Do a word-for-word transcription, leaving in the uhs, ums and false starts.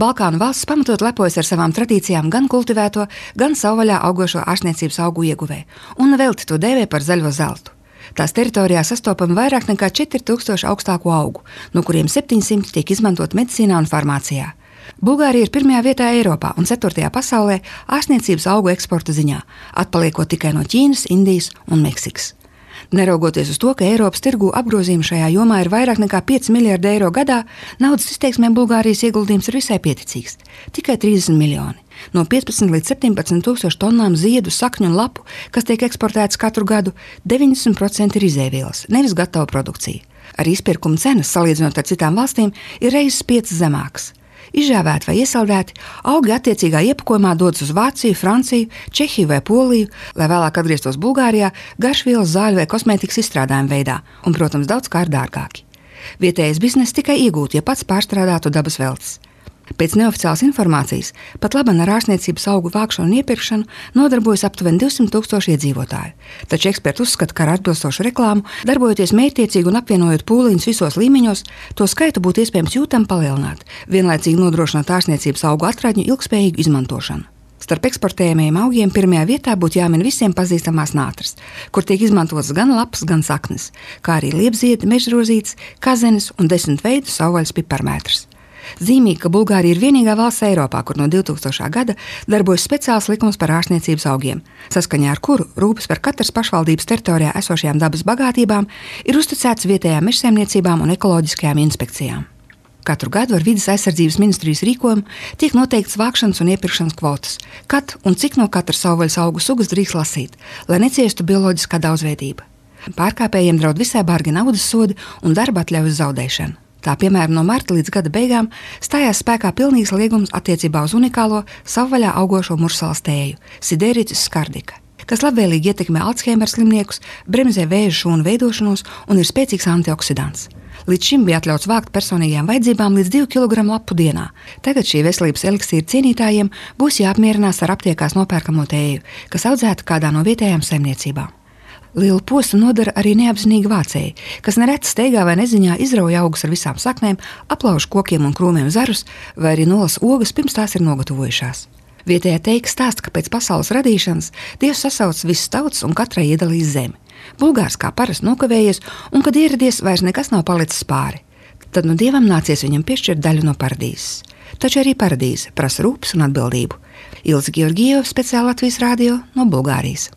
Balkānu valsts pamatot lepojas ar savām tradīcijām gan kultivēto, gan savvaļā augošo ārstniecības augu ieguvē, un velti to dēvē par zaļo zeltu. Tās teritorijā sastopami vairāk nekā četri tūkstoši augstāku augu, no kuriem septiņsimti tiek izmantot medicīnā un farmācijā. Bulgārija ir pirmajā vietā Eiropā un ceturtajā pasaulē ārstniecības augu eksporta ziņā, atpaliekot tikai no Ķīnas, Indijas un Meksikas. Neraugoties uz to, ka Eiropas tirgū apgrozījumi šajā jomā ir vairāk nekā pieci miljardi eiro gadā, naudas izteiksmē Bulgārijas ieguldījums ir visai pieticīgs – tikai trīsdesmit miljoni. No piecpadsmit līdz septiņpadsmit tūkstoši tonnām ziedu, sakņu un lapu, kas tiek eksportētas katru gadu, deviņdesmit procenti ir izēvielas, nevis gatava produkcija. Arī izpirkuma cenas, salīdzinot ar citām valstīm, ir reizes piecas zemākas. Izžāvēti vai iesaldēti, augi attiecīgā iepakojumā dodas uz Vāciju, Franciju, Čehiju vai Poliju, lai vēlāk atgrieztos Bulgārijā garšvielas, zāļu vai kosmētikas izstrādājumu veidā un, protams, daudz kā dārgāki. Vietējais bizness tikai iegūt, ja pats pārstrādātu dabas veltes. Pēc neoficiālas informācijas pat laban ar ārstniecības augu vākšanu un iepirkšanu nodarbojas aptuveni divsimt tūkstoši iedzīvotāju. Taču eksperti uzskata, ka ar atbilstošu reklāmu, darbojoties mērķtiecīgi un apvienojot pūliņus visos līmeņos, to skaitu būtu iespējams jūtami palielināt, vienlaicīgi nodrošināt ārstniecības augu atradņu ilgspējīgu izmantošanu. Starp eksportējumiem augiem pirmajā vietā būtu jāmin visiem pazīstamās nātras, kur tiek izmantotas gan lapas, gan saknes, kā arī liepziedi, mežrozītes, kazenes un desmit veidu savvaļas piparmētras. Zīmīgi, ka Bulgārija ir vienīgā valsts Eiropā, kur no divtūkstošā gada darbojas speciāls likums par ārstniecības augiem, saskaņā ar kuru rūpes par katras pašvaldības teritorijā esošajām dabas bagātībām ir uzticēts vietējām mežsaimniecībām un ekoloģiskajām inspekcijām. Katru gadu ar vides aizsardzības ministrijas rīkojumu tiek noteikts vākšanas un iepirkšanas kvotas, kad un cik no katras savvaļas augu sugas drīkst lasīt, lai neciestu bioloģiskā daudzveidība. Pārkāpējiem draud visai bargi naudas sodi un darba atļaujas zaudēšana. Tā, piemēram, no marta līdz gada beigām stājās spēkā pilnīgs liegums attiecībā uz unikālo savvaļā augošo mursalas tēju – Sideritis skardika, kas labvēlīgi ietekmē Alzheimera slimniekus, bremzē vēža šūnu veidošanos un ir spēcīgs antioksidants. Līdz šim bija atļauts vākt personīgajām vajadzībām līdz divi kilogrami lapu dienā. Tagad šī veselības eliksīra cienītājiem būs jāapmierinās ar aptiekās nopērkamo tēju, kas audzēta kādā no vietējām saimniecībām. Lielu postu nodara arī neapzinīgi vācēji, kas nereti steigā vai neziņā izrauj augus ar visām saknēm, aplauž kokiem un krūmiem zarus vai arī nolas ogas, pirms tās ir nogatavojušās. Vietējā teika stāsta, ka pēc pasaules radīšanas Dievs sasauc visas tautas un katrai iedalīs zemi. Bulgārs kā parasti nokavējies, un kad ieradies, vairs nekas nav palicis pāri. Tad no Dievam nācies viņam piešķirt daļu no paradīzes. Taču arī paradīze prasa rūpes un atbildību. Ilze Georgieva, speciāli Latvijas radio no Bulgārijas.